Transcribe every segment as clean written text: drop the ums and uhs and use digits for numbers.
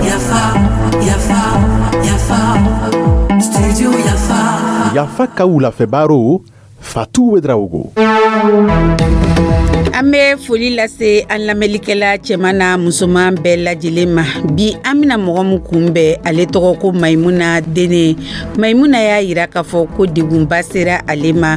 Yafa, yafa, yafa, studio Yafa. Yafa ka wulafɛ Fatou Ouédraogo. An bɛ foli lase an lamɛnlikɛla cɛman n'a musoman bɛɛ lajɛlen ma. Bi, an bɛna mɔgɔ min kunbɛn, ale tɔgɔ ko Mayimuna Dene. Mayimuna y'a yira k'a fɔ ko degunba sera ale ma,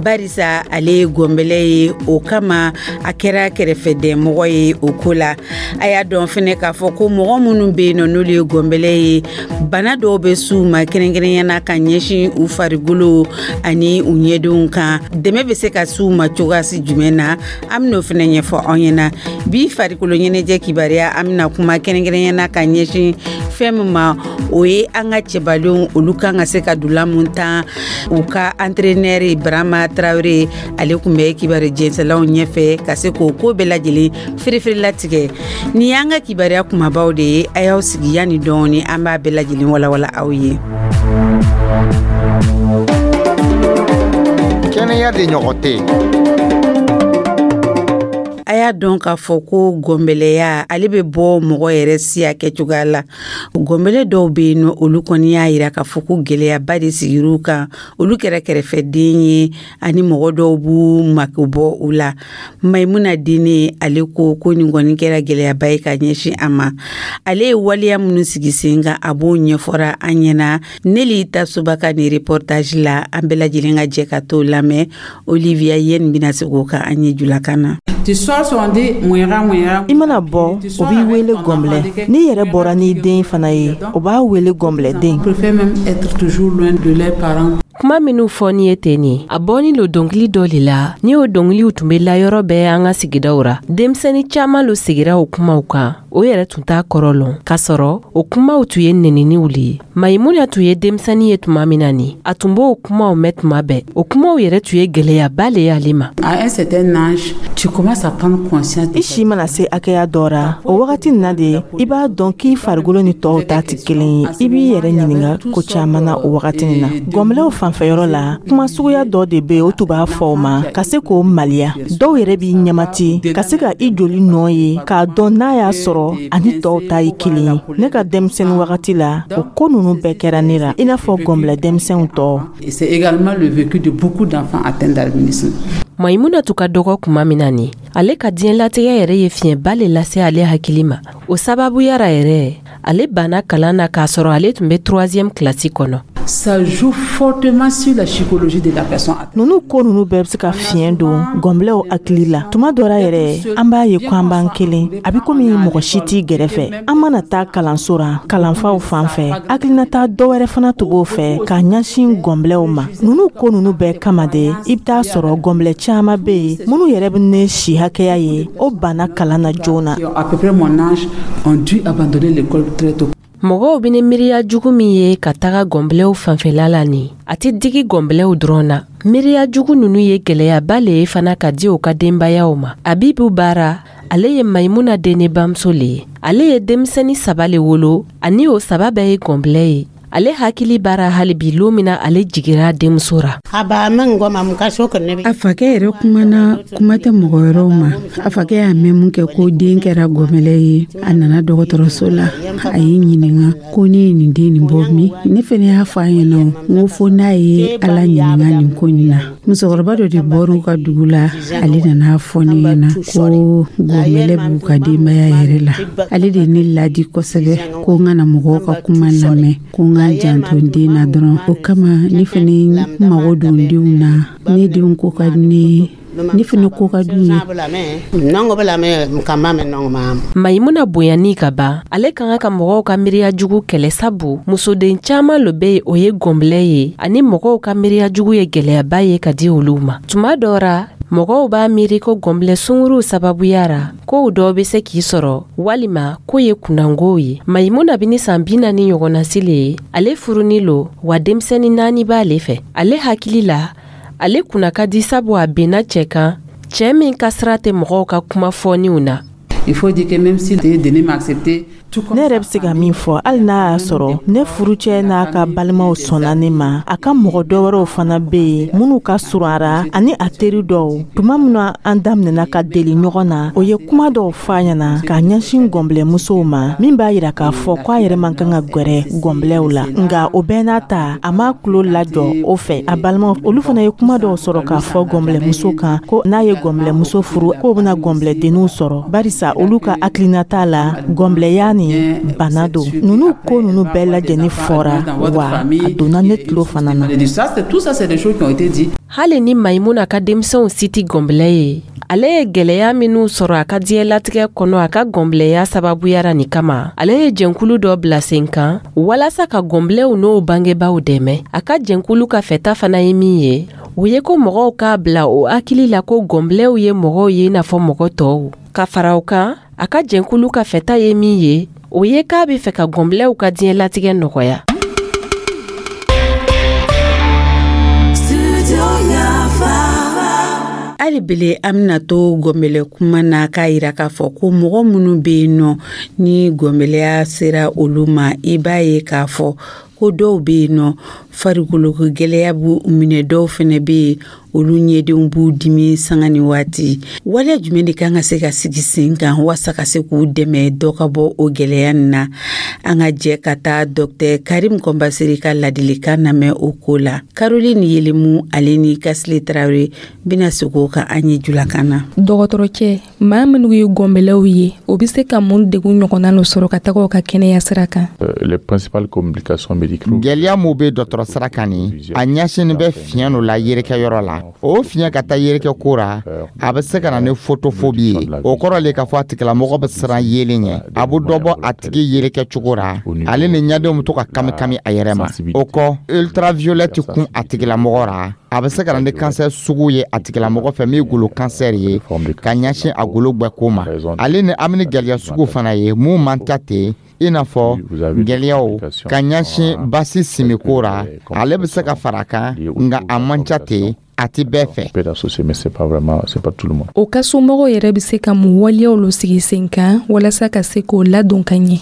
barisa ale ye gɔnbɛlɛ ye. O kama, a kɛra kɛrɛfɛdɛnmɔgɔ ye o ko la. A y'a dɔn fɛnɛ k'a fɔ ko mɔgɔ minnu bɛ yen nɔ, n'olu ye gɔnbɛlɛ ye, bana dɔw bɛ s'u ma, kɛrɛnkɛrɛnya na ka ɲɛsin u farikolo ani u ɲɛdenw kan. Dɛmɛ bɛ se ka s'u ma cogoyasi jumɛn na? An bɛn'o fɛnɛ ɲɛfɔ aw ɲɛna. Bi farikolo ɲɛnajɛ kibaruya, an bɛna kuma kɛrɛnkɛrɛnya na ka ɲɛsin fɛn min ma, o ye an ka cɛbalenw, olu kan ka se ka dula mun tan. U ka entraîneur Barama Tarawele, ale tun bɛ kibaru jɛnsɛlaw ɲɛfɛ ka se k'o ko bɛɛ lajɛlen firifiri latigɛ. Nin y'an ka kibaruya kumabaw de ye. A y'aw sigi yanni dɔɔni, an b'a bɛɛ lajɛlen walawala aw ye. Kɛnɛya de ɲɔgɔn tɛ. A y'a dɔn k'a fɔ ko gɔnbɛlɛya, ale bɛ bɔ mɔgɔ yɛrɛ siya kɛcogoya la. Gɔnbɛlɛ dɔw bɛ yen nɔ, olu kɔni y'a yira k'a fɔ ko gɛlɛyaba de sigir'u kan. Olu kɛra kɛrɛfɛden ye ani mɔgɔ dɔw b'u mako bɔ u la. Mayimuna Dene, ale ko ko nin kɔni kɛra gɛlɛyaba ye ka ɲɛsin a ma. Ale ye waleya minnu sigi sen kan, a b'o ɲɛfɔra an ɲɛna Neli Tasoba ka nin reportage la. An bɛɛ lajɛlen ka jɛ ka t'o lamɛn. Olivia Yen bɛna se k'o kan an ye julakan na. I mana bɔ, o b'i wele gɔnbɛlɛ. N'i yɛrɛ bɔra n'i den fana ye, o b'a wele gɔnbɛlɛden. Kuma minnu fɔ ni ye ten nin, a bɔni lo dɔnkili dɔ le la. Ni o dɔnkiliw tun bɛ la yɔrɔ bɛɛ an ka sigidaw ra, denmisɛni caaman lo sigira o kumaw kan, o yɛrɛ tun t'a kɔrɔ lɔn, k'a sɔrɔ o kumaw tun ye neniniw le ye. Mayimuna tun ye denmisɛni ye tuma min na nin, a tun b'o kumaw mɛn tuma bɛɛ. O kumaw yɛrɛ tun ye gwɛlɛyaba le ye ale ma. I si mana se hakɛya dɔ ra, o wagati nin na de i b'a dɔn k'i farikolo ni tɔw ta tɛ kelen ye. I b'i yɛrɛ ɲininga ko caaman na o wagati nin na. Gɔnbɛlɛw fanfɛyɔrɔ la, kuma suguya dɔ de be, o tun b'a fɔ o ma ka se k'o maliya. Dɔw yɛrɛ b'i ɲɛmati ka se ka i joli nɔ ye k'a dɔn n'a y'a sɔrɔ ani tɔw ta ye kelen ye. Ne ka denmisɛnnin wagati la, o ko nunu bɛɛ kɛra ne la, i n'a fɔ gɔnbɛlɛ denmisɛnw tɔw. Mayimuna tun ka dɔgɔ kuma min na nin, ale ka diɲɛlatigɛ yɛrɛ ye fiɲɛba le lase ale hakili ma. O sababuya ra yɛrɛ, ale banna kalan na k'a sɔrɔ ale tun bɛ troisième kilasi kɔnɔ. Ça joue fortement sur la psychologie de la personne. Nunu ko nunu bɛɛ bɛ se ka fiɲɛ don gɔnbɛlɛw hakili la. Tuma dɔ la yɛrɛ, an b'a ye ko an b'an kelen, a bɛ komi mɔgɔ si t'i gɛrɛfɛ. An mana taa kalanso ra, kalanfaw fan fɛ, hakilinata dɔ wɛrɛ fana tun b'o fɛ ka ɲɛsin gɔnbɛlɛw ma. Nunu ko nunu bɛɛ kama de, i bɛ taa sɔrɔ gɔnbɛlɛ caman bɛ yen minnu yɛrɛ bɛ ne si hakɛya ye, o banna kalan na joona. À peu près mon âge, ont dû abandonner l'école très tôt. Mɔgɔw bɛ ni miiriya jugu min ye ka taga gɔnbɛlɛw fanfɛla la nin, a tɛ digi gɔnbɛlɛw dɔrɔn na. Miiriya jugu ninnu ye gwɛlɛyaba le ye fana ka di u ka denbayaw ma. Abibu Baara, ale ye Mayimuna Dene bamuso le ye. Ale ye denmisɛni saba le wolo, ani o saba bɛɛ ye gɔnbɛlɛ ye. Ale hakili b'ara hali bi lon min na ale jigira denmuso ra. A fakɛ yɛrɛ kumana, kuma tɛ mɔgɔ wɛrɛw ma. A fakɛ y'a mɛn mun kɛ ko den kɛra gɔnbɛlɛ ye, a nana dɔgɔtɔrɔso la, a y'i ɲininga ko ne ye nin den nin bɔ min. Ne fɛnɛ y'a fɔ a ɲɛna n ko fo n'a ye Ala ɲininga nin ko nin na. Musokɔrɔba dɔ de bɔr'u ka dugu la, ale nana fɔ ne ɲɛna ko gɔnbɛlɛ b'u ka denbaya yɛrɛ la. Ale de ye ne ladi kosɛbɛ ko n kana mɔgɔw ka kuma lamɛn, ko n ka janto n den na dɔrɔn. O kama, ne fɛnɛ mago don denw na. Ne denw ko ka di ne ye, ne fɛnɛ ko ka d'u ye. Mayimuna bonyani ka ban, ale ka kan ka mɔgɔw ka miiriya jugu kɛlɛ, sabu musoden caaman lo be yen, o ye gɔnbɛlɛ ye, ani mɔgɔw ka miiriya jugu ye gwɛlɛyaba ye ka di olu ma. Tuma dɔ ra, mɔgɔw b'a miiri ko gɔnbɛlɛ sunguruw sababuya ra, kow dɔw be se k'i sɔrɔ, walima ko ye kunnangow ye. Mayimuna be ni san 40 ɲɔgɔnnasi le ye. Ale furuni lo wa, denmisɛni naani b'ale fɛ. Ale hakili la, ale kunna ka di, sabu a benna cɛ kan, cɛɛ min ka sira tɛ mɔgɔw ka kuma fɔniw na. Il faut dire que même si Denis m'a accepté, Ne yɛrɛ bɛ se ka min fɔ, hali n'a y'a sɔrɔ ne furucɛ n'a ka balimaw sɔnna ne ma, a ka mɔgɔ dɔ wɛrɛw fana bɛ yen minnu ka surun a ra, ani a teri dɔw. Tuma min na an daminɛna ka deli ɲɔgɔn na, o ye kuma dɔw fɔ a ɲɛna k'a ɲɛsin gɔnbilɛmusow ma, min b'a yira k'a fɔ k'a yɛrɛ man kan ka gwɛrɛ gɔnbilɛw la. Nka o bɛɛ n'a ta, a m'a tulo lajɔ o fɛ. A balimaw, olu fana ye kuma dɔw sɔrɔ k'a fɔ gɔnbilɛmuso kan, ko n'a ye gɔnbilɛmuso furu, k'o bɛna gɔnbilɛdenninw sɔrɔ, barisa olu ka hakilinata la, gɔnbilɛya ni bana don. Ninnu ko ninnu bɛɛ lajɛlen fɔra, wa a donna ne tulo fana na. Hali ni Mayimuna ka denmisɛnw si tɛ gɔnbilɛ ye, ale ye gwɛlɛya minw sɔrɔ a ka diɲɛlatigɛ kɔnɔ a ka gɔnbilɛya sababuyara nin kama, ale ye jɛnkulu dɔ bila sen kan walasa ka gɔnbilɛw n'o bangebaaw dɛmɛ. A ka jɛnkulu ka fɛta fana ye min ye, o ye ko mɔgɔw k'a bila o hakili la ko gɔnbilɛw ye mɔgɔw ye i n'a fɔ mɔgɔ tɔw. Ka fara o kan, a ka jɛnkulu ka fɛta ye min ye, o ye k'a bɛ fɛ ka gɔnbilɛw ka diɲɛlatigɛ nɔgɔya. Hali bele, an bɛna to gɔnbɛlɛ kuma na k'a yira k'a fɔ ko mɔgɔ minnu bɛ yen nɔ ni gɔnbɛlɛya sera olu ma, i b'a ye k'a fɔ ko dɔw bɛ yen nɔ, farikolo gɛlɛya b'u minɛ, dɔw fɛnɛ bɛ yen, olu ɲɛdenw b'u dimi sanga ni waati. Waleya jumɛn de kan ka se ka sigi sen kan walasa ka se k'u dɛmɛ dɔ ka bɔ o gɛlɛya nin na? An ka jɛ ka taa Dɔktɛr Karim Kɔnbaseri ka ladilikan lamɛn o ko la. Caroline Yelemu, ale ni Kasile Tarawele bɛna segin o kan an ye julakan na. Dɔgɔtɔrɔcɛ, maa minnu ye gɔnbɛlɛw ye, o bɛ se ka mun degun ɲɔgɔnna n'o sɔrɔ ka taga u ka kɛnɛya sira kan? Les principales complications médicales. Gɛlɛya mun bɛ dɔgɔtɔrɔ sira kan nin, a ɲɛsinnen bɛ fiɲɛ dɔ la yerekɛyɔrɔ la. O fiɲɛ ka taa yerekɛ ko ra, a bɛ se ka na ni photophobie ye. O kɔrɔ le k'a fɔ a tigilamɔgɔ bɛ siran yelen ɲɛ. A bɛ dɔ bɔ a tigi yerekɛ cogo ra, ale ni ɲadenw bɛ to ka kami kami a yɛrɛ ma. O kɔ, ultraviolette kun a tigilamɔgɔ ra, a bɛ se ka na ni kansɛr sugu ye a tigilamɔgɔ fɛ min ye golo kansɛr ye ka ɲɛsin a golo gbɛko ma. Ale ni an bɛ ni gɛlɛya sugu fana ye mun man ca ten, i n'a fɔ gɛlɛyaw ka ɲɛsin basi simiko ra, ale bɛ se ka fara a kan, nka a man ca ten, a ti bɛɛ fɛ. O ka somɔgɔw yɛrɛ bɛ se ka mun waleyaw lo sigi sen kan walasa ka se k'o ladon ka ɲɛ?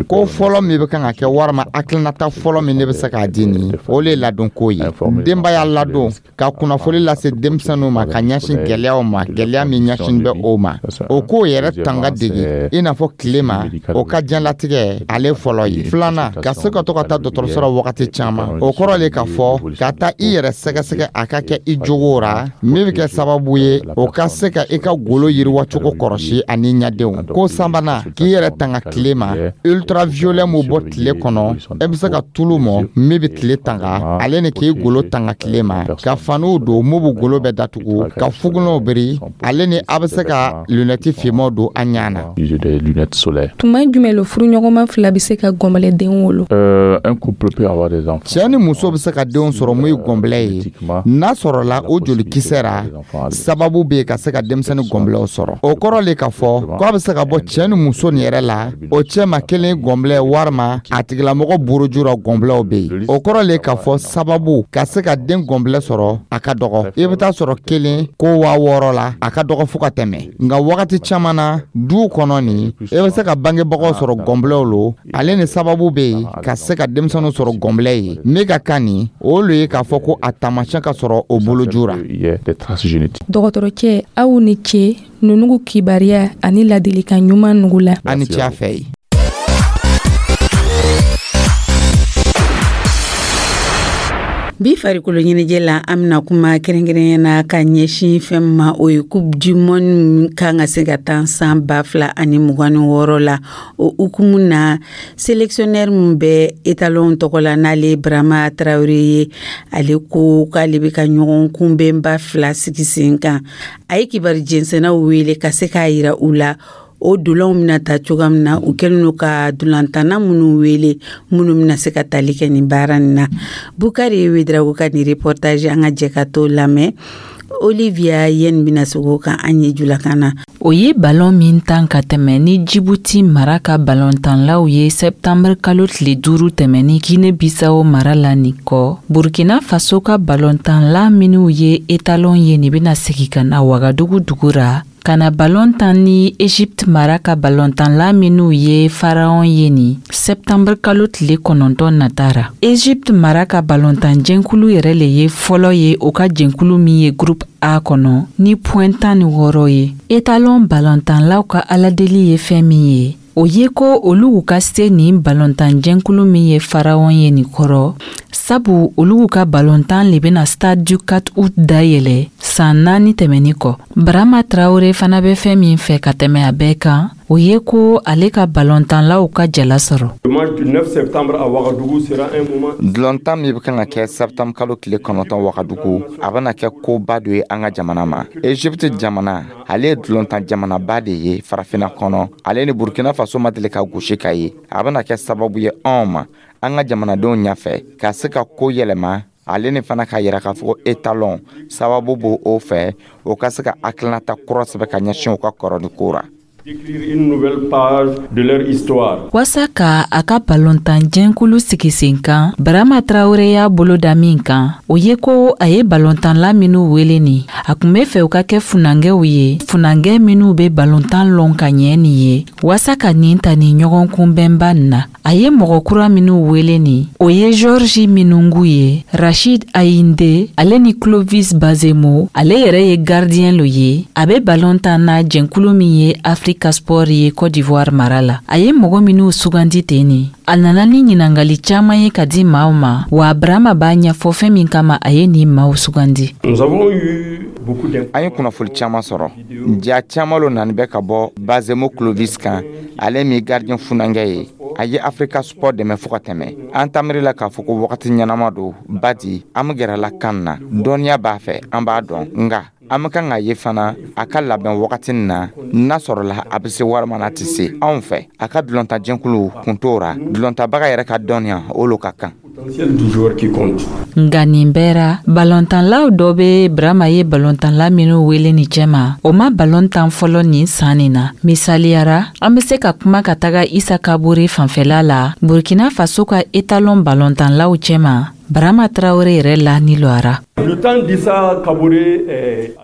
Ko fɔlɔ min bɛ kan ka kɛ, walima hakilinata fɔlɔ min ne bɛ se k'a di nin, o le ye ladonko ye. Denbaya ladon ka kunnafoni lase denmisɛnninw ma ka ɲɛsin gɛlɛyaw ma, gɛlɛya min ɲɛsin bɛ o ma, o k'o yɛrɛ tanga dege i n'a fɔ tile ma, o ka diɲɛlatigɛ ale fɔlɔ ye. Filanan, ka se ka to ka taa dɔgɔtɔrɔso la wagati caman. O kɔrɔ le k'a fɔ ka taa i yɛrɛ sɛgɛsɛgɛ, a ka kɛ i jogo ra, min bɛ kɛ sababu ye o ka se ka i ka golo yiriwacogo kɔrɔsi ani ɲadenw. Ko sabanan, k'i yɛrɛ tanga tile ma, ultraviolet mun bɔ tile kɔnɔ, e bɛ se ka tulu mɔ min bɛ tile tanga, ale ni k'i golo tanga tile ma, ka faniw don mun bɛ golo bɛɛ datugu, ka fugunɛw biri, ale ni a bɛ se ka lunɛti finmanw don an ɲɛ na. Tuma jumɛn lo furuɲɔgɔnma fila bɛ se ka gɔnbɛlɛden wolo? Cɛ ni muso bɛ se ka denw sɔrɔ mun ye gɔnbɛlɛ ye, n'a sɔrɔla o jolikisɛ ra sababu bɛ yen ka se ka denmisɛnnin gɔnbɛlɛw sɔrɔ. O kɔrɔ le k'a fɔ k'a bɛ se ka bɔ cɛ ni muso nin yɛrɛ la, o cɛ ma kelen gɔnbɛlɛ walima a tigilamɔgɔ buruju ra gɔnbɛlɛw bɛ yen. O kɔrɔ le k'a fɔ sababu ka se ka den gɔnbɛlɛ sɔrɔ a ka dɔgɔ. I bɛ taa sɔrɔ kelen ko 6000 la, a ka dɔgɔ fo ka tɛmɛ. Nka wagati caman na, duw kɔnɔ nin, i bɛ se ka bangebagaw sɔrɔ gɔnbɛlɛw lo, ale ni sababu bɛ yen ka se ka denmisɛnninw sɔrɔ gɔnbɛlɛ ye. Min ka kan nin, o le ye k'a fɔ ko a taamasiyɛn ka sɔrɔ o boloju ra. Dɔgɔtɔrɔcɛ, aw ni ce nunugu kibaruya ani ladilikan ɲuman nugu la. A ni ce a fɛ ye. Bi farikolo ɲɛnajɛ la, an bɛna kuma kɛrɛnkɛrɛnya na ka ɲɛsin fɛn ma, o ye Coupe du monde kan ka se ka taa san 2026 la. O hukumu na, sélectionneur min bɛ étalon tɔgɔ la, n'ale Brahma Traoré ye, ale ko k'ale bɛ ka ɲɔgɔn kunbɛnba fila sigi sen kan. A ye kibaru jɛnsɛnnaw wele ka se k'a yira u la o dolanw bɛna ta cogoya min na, u kɛlen don ka dolantanna minnu wele minnu bɛna se ka tali kɛ nin baara nin na. Bukari Wedrago ka nin reportage, an ka jɛ ka t'o lamɛn. Olivia Yen bɛna segin o kan an ye julakan na. O ye balon min tan ka tɛmɛ ni Jibuti mara ka balontanlaw ye sɛptanbere kalo tile 5 tɛmɛni Guinée Bissau mara la nin kɔ, Burkina Faso ka balontanla minnu ye étalon ye nin bɛna segin ka na Wagadugu dugu ra ka Ka na balon tan ni Egypte mara ka balontanla minnu ye Pharaon ye nin septembre kalo tile 9 nata ra. Egypte mara ka balontan jɛnkulu yɛrɛ le ye fɔlɔ ye o ka jɛnkulu min ye groupe A kɔnɔ ni point 16 ye. Etalon balontanlaw ka aladeli ye fɛn min ye, o ye ko olu ka se nin balontan jɛnkulu min ye Pharaon ye nin kɔrɔ, sabu olu ka balontan le bɛna Stade du 4 août dayɛlɛ san 4 tɛmɛni kɔ. Barama Traore fana bɛ fɛn min fɛ ka tɛmɛ a bɛɛ kan, o ye ko ale ka balontanlaw ka jala sɔrɔ. Dulɔntan min bɛ kan ka kɛ septembre kalo tile 9 Wagadugu, a bɛna kɛ koba dɔ ye an ka jamana ma. Egypte jamana, ale ye dulɔntan jamanaba de ye farafinna kɔnɔ. Ale ni Burkina Faso ma deli ka gosi ka ye. A bɛna kɛ sababu ye anw ma, an ka jamanadenw ɲɛfɛ, ka se ka ko yɛlɛma, ale ni fana k'a yira k'a fɔ ko Etalon sababu b'o o fɛ, o ka se ka hakilinata kura sɛbɛn ka ɲɛsin u ka kɔrɔni ko ra. Waasa ka a ka balontan jɛnkulu sigi sen kan, Barama Traore y'a bolo da min kan, o ye ko a ye balontanla minnu wele nin, a kun be fɛ u ka kɛ funankɛw ye, funankɛ minnu be balontan lɔn ka ɲɛ nin ye, waasa ka nin ta nin ɲɔgɔn kunbɛnba nin na. A ye mɔgɔ kura minnu wele nin, o ye Georgi Minungu ye, Rachid Ayinde, ale ni Clovis Bazemo. Ale yɛrɛ ye gardien lo ye, a bɛ balon tan na jɛnkulu min ye Africa Sport ye Côte d'Ivoire mara la. A ye mɔgɔ minnu sugandi ten nin, a nana ni ɲinangali caaman ye ka di maaw ma. Wa Brahma b'a ɲɛfɔ fɛn min kama a ye nin maaw sugandi. An ye kunnafoli caman sɔrɔ, ja caman lo nani bɛ ka bɔ Bazemo Clovis kan, ale min gardien funankɛ ye, a ye Africa Sport dɛmɛ fo ka tɛmɛ. An tamiri la k'a fɔ ko wagati ɲɛnama don badi an be gɛrɛla kan na, dɔnniya b'a fɛ, an b'a dɔn. Nga an be kan k'a ye fana a ka labɛn wagati na, n'a sɔrɔla a be se walima n'a tɛ se. Anw fɛ, a ka dulɔntajɛnkulu kun t'o ra, dulɔntabaga yɛrɛ ka dɔnniya o lo ka kan. Nka nin bɛɛ ra, balontanlaw dɔ bɛ Brahma ye balontanla minnu wele nin cɛma, o ma balon tan fɔlɔ nin san nin na. Misaliyara, an bɛ se ka kuma ka taga Isa Kabore fanfɛla la, Burkina Faso ka Etalon balontanlaw cɛma. Barama Traore yɛrɛ la ni lɔra.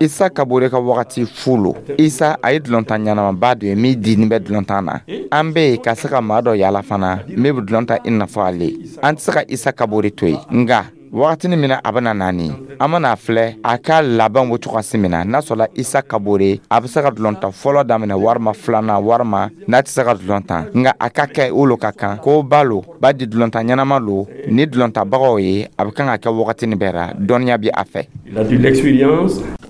Isa Kabore ka wagati fu lo. Isa, a ye dulɔntan ɲɛnamaba dɔ ye min dini bɛ dulɔntan na. An bɛ yen ka se ka maa dɔ yaala fana min bɛ dulɔn ta i n'a fɔ ale. An tɛ se ka Isa Kabore to yen, nka wagatini min na a bɛna naani, an bɛna filɛ a ka laban bɛ cogoya min na, n'a sɔrɔla Isa Kabore a bɛ se ka dulɔntan fɔlɔ daminɛ walima filanan, walima n'a tɛ se ka dulɔn tan. Nka a ka kɛ o lo ka kan ko ba lo b'a di dulɔntan ɲɛnama lo ni dulɔntabagaw ye. A bɛ kan ka kɛ wagatini bɛɛ ra, dɔnniya bɛ a fɛ.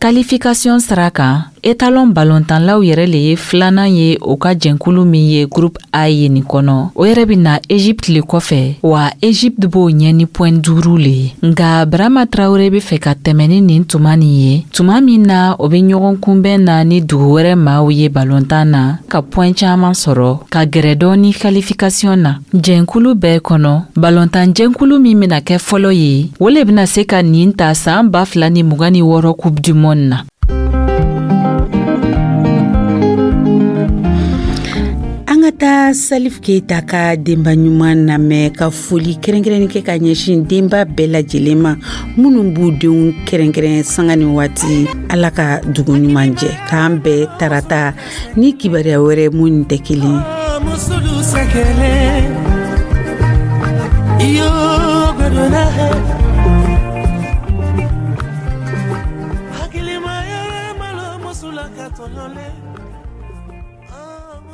Qualification sira kan, Etalon balontanlaw yɛrɛ le ye filanan ye o ka jɛnkulu min ye groupe A ye nin kɔnɔ. O yɛrɛ bɛ na Egypte le kɔfɛ, wa Egypte b'o ɲɛ ni point 5 le ye. Nka Brahma Traore bɛ fɛ ka tɛmɛ ni nin tuma nin ye, tuma min na o bɛ ɲɔgɔn kunbɛn na ni dugu wɛrɛ maaw ye balontan na, ka point caman sɔrɔ ka gɛrɛ dɔɔni qualification na jɛnkulu bɛɛ kɔnɔ. Balontan jɛnkulu min bɛna kɛ fɔlɔ ye, o le bɛna se ka nin ta san 2026 Coupe du monde na. An ka taa Salif Keita ka denba ɲuman lamɛn, ka foli kɛrɛnkɛrɛnni kɛ ka ɲɛsin denba bɛɛ lajɛlen ma minnu b'u denw kɛrɛnkɛrɛn sanga ni waati. Ala ka dugu ɲuman jɛ, k'an bɛɛ tarata ni kibaruya wɛrɛ mun tɛ kelen.